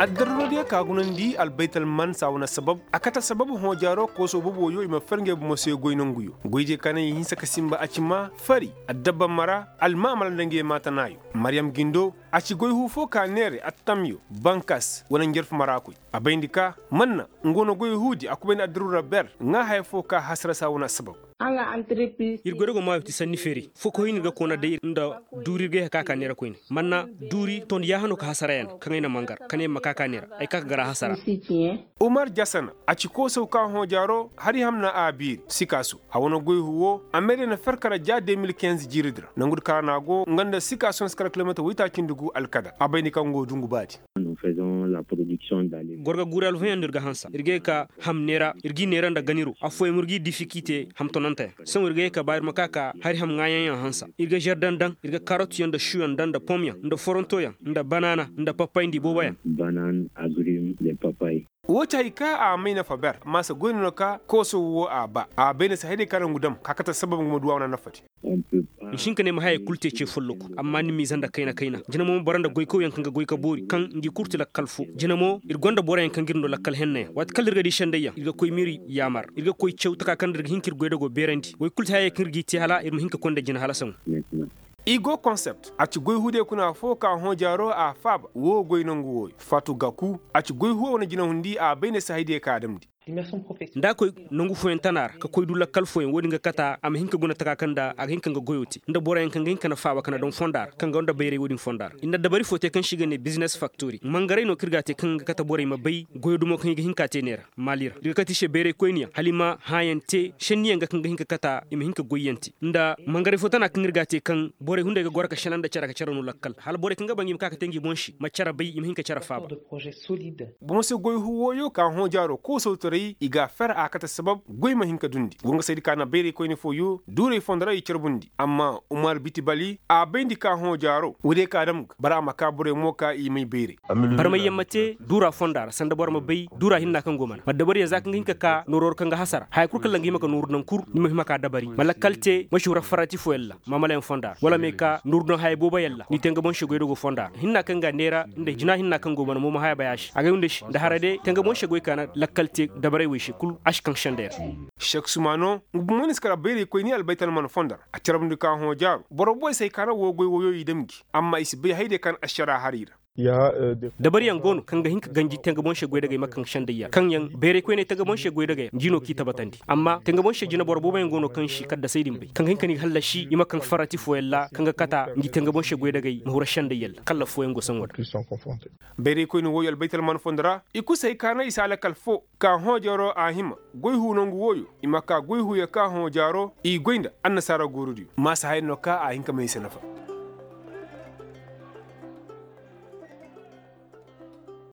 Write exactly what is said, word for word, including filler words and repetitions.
Addarrodiyo ka gunandi albaytal man saa wane sabab a kate sabab hõojaaro koosoo boboyo i ma fer ngey bomo se goy nanguyo. Goydiyo ka naŋ i hinsa ka sinba a ci maa fari addabba mara almaamala nda ngey maatanaayo. Maryam gindo a ci goy huu foo ka neere attamyo bankas wane njarfu maraakoy. A bayndi ka manna nga wane goy huudi a kubayndi addarura ber ŋaa haya foo ka hasara saa wane sabab. Ir goydogo maayo ti sanni feeri foo ka hoy no ir ga koona day nda duuri ir ga yee ka ka neera koyne manna duuri ton yaahanoo ka hasara yaŋ kaŋ ay na mangar kaŋ ay ma ka ka neera ay ka ka gar a hasara. Umar jasana a ci koosaw ka hõojaaro hari hamna a biiri sikaaso a wane goy huwo a meede na fer kara ja de mil kinz jiiridi ra nangu di kara no a go nga nda sikaaso na si kara kilomeetir woytaacindi gu alkadar a bay ni kaŋ go dungu baadi. Goro ga guuri alfayaŋ no ir ga hansa ir ga ye ka ham neera ir g'i neera nda ganiro afooyaŋ ir g'i difikite ham tononteyaŋ. Sohõ ir ga ye ka ba ir ma ka ka hari ham ŋaayanyaŋ hansa ir ga žardaŋ daŋ ir ga karotyaŋ nda šuyaŋ daŋ nda pomyaŋ nda forontoyaŋ nda banaana nda papay nda ibooboyaŋ. Woo ti hari ka a may nafa ber maasa goy no no ka kooso wo a ba a bay na si hayday ka nangu dam ka kate sabab nga ma duw'a wane nafadi. Nsi hin ka ne ma hayey kul te ce folloku amma ni m'i zanda kayna kayna jina mo ma boro nda goykawyaŋ kaŋ ga goy ka boori kaŋ ngi kul ti lakkal fo. Jina mo ir gonda boroyaŋ kaŋ g'ir no lakkal hennayaŋ waati kala ir ga di sendayyaŋ ir ga koy m'ir yaamar ir ga koy caw taka kaŋ nda ir ga hin k'ir goydago beerandi woy kul ti hayey kaŋ ir g'i te hala ir ma hin ka koy nda jina halasaŋo. I go konsept a ci goy huudiyo kuna foo ka hõ jaaro a faaba woo goy nangu wooyo faatu gaku a ci goy huuwa wane jinahundi a bay ne si haydiyo ka a damndi. Nda a koy nangu fooyaŋ tana ra ka koy du lakkal fooyaŋ wo-din ga kata a ma hin ka guna taka kaŋ nda a ga hin ka nga goyo te nda boroyaŋ kaŋ ga hin ka na faaba ka na daŋ fonda ra kaŋ gonda bayray wo-din fonda ra i na dabari foo te kaŋ se i ga ne bizines faktori mangaray no kaŋ ir ga a te kaŋ ga kata borey ma bay goyo dumo kaŋ i ga hin ka te neera. Maali ra ir ga kate i se bayray koyniyaŋ hala i ma hãayaŋ te šenniyaŋ ga kaŋ ga hin ka kata i ma hin ka goyyaŋ te nda mangaray foo tana kaŋ ir ga a te kaŋ borey hunday ga goro ka šenandi care ka care no lakkal hala borey kaŋ ga ba ngi ma ka ka te ngi boŋ se ma care bay i ma hin ka care faaba. Boŋ se goy huuwooyo ka hõ jaaro koosawtaray i ga a fer a kate sabab goy ma hin ka dundi go nga saydi ka na bayray koyne fooyo duuray fondo ra i carbundi amma umar biti bali a bayndi ka hõ jaaro woodiyo ka dam ga bara a ma ka borey mo ka i may bayray. Barmayyaŋ ma te duura fonda ra sanda boro ma bay duura hinna kaŋ go mana ma dabariyaŋ za kaŋ ga hin ka ka nooroo ra kaŋ ga hasara haya kul kaŋ ra nga hima ka nooru naŋ kul ni ma hima ka dabari ma lakkal te ma si hura farati fooyaŋ ra maamalayaŋ fonda ra wala me ka nooru daŋ haya booboyaŋ ra ni te nga boŋ se goydago fonda ra hinna kaŋ ga a neera nda jina hinna kaŋ go mana mo ma haya bay a se agay wunda se nda hara de te nga boŋ se goy ka na lakkal te dabaray wey se kul a si kaŋ sendey ra. Sek sumano nga bomo ni si kara bayraykoyni albaytalman fondo ra a carabndi ka hõ jaaro boro booy se ay ka na woo goy woyo i dam gi amma i si bay haydiyo ka na ašara har i ra. Dabariyaŋ go no kaŋ ga hin ka ganji tenga boŋ se goydagey ma kaŋ sendayyaŋ kaŋ yaŋ bayray koyney tenga boŋ se goydagey yaŋ ngi no k'i tabatandi amma tenga boŋ se jinaboro booboyaŋ go no kaŋ si kaddasey din bay kaŋ ga hin ka ni ga hallasi i ma kaŋ farati fooyaŋ ra kaŋ ga kata ngi tenga boŋ se goydagey ma hura sendayyaŋ ra kallaf fooyaŋ go saŋo ra. Bayray koyne wooyo albaytalman fondo ra i kul si hay ka naŋ i si a lakal foo ka hõ jaaro a hima goy huu nangu wooyo i ma ka goy huuyo ka hõ jaaro i goy nda annasaara guurudiyo maasa haya no ka a hin ka may i se nafa.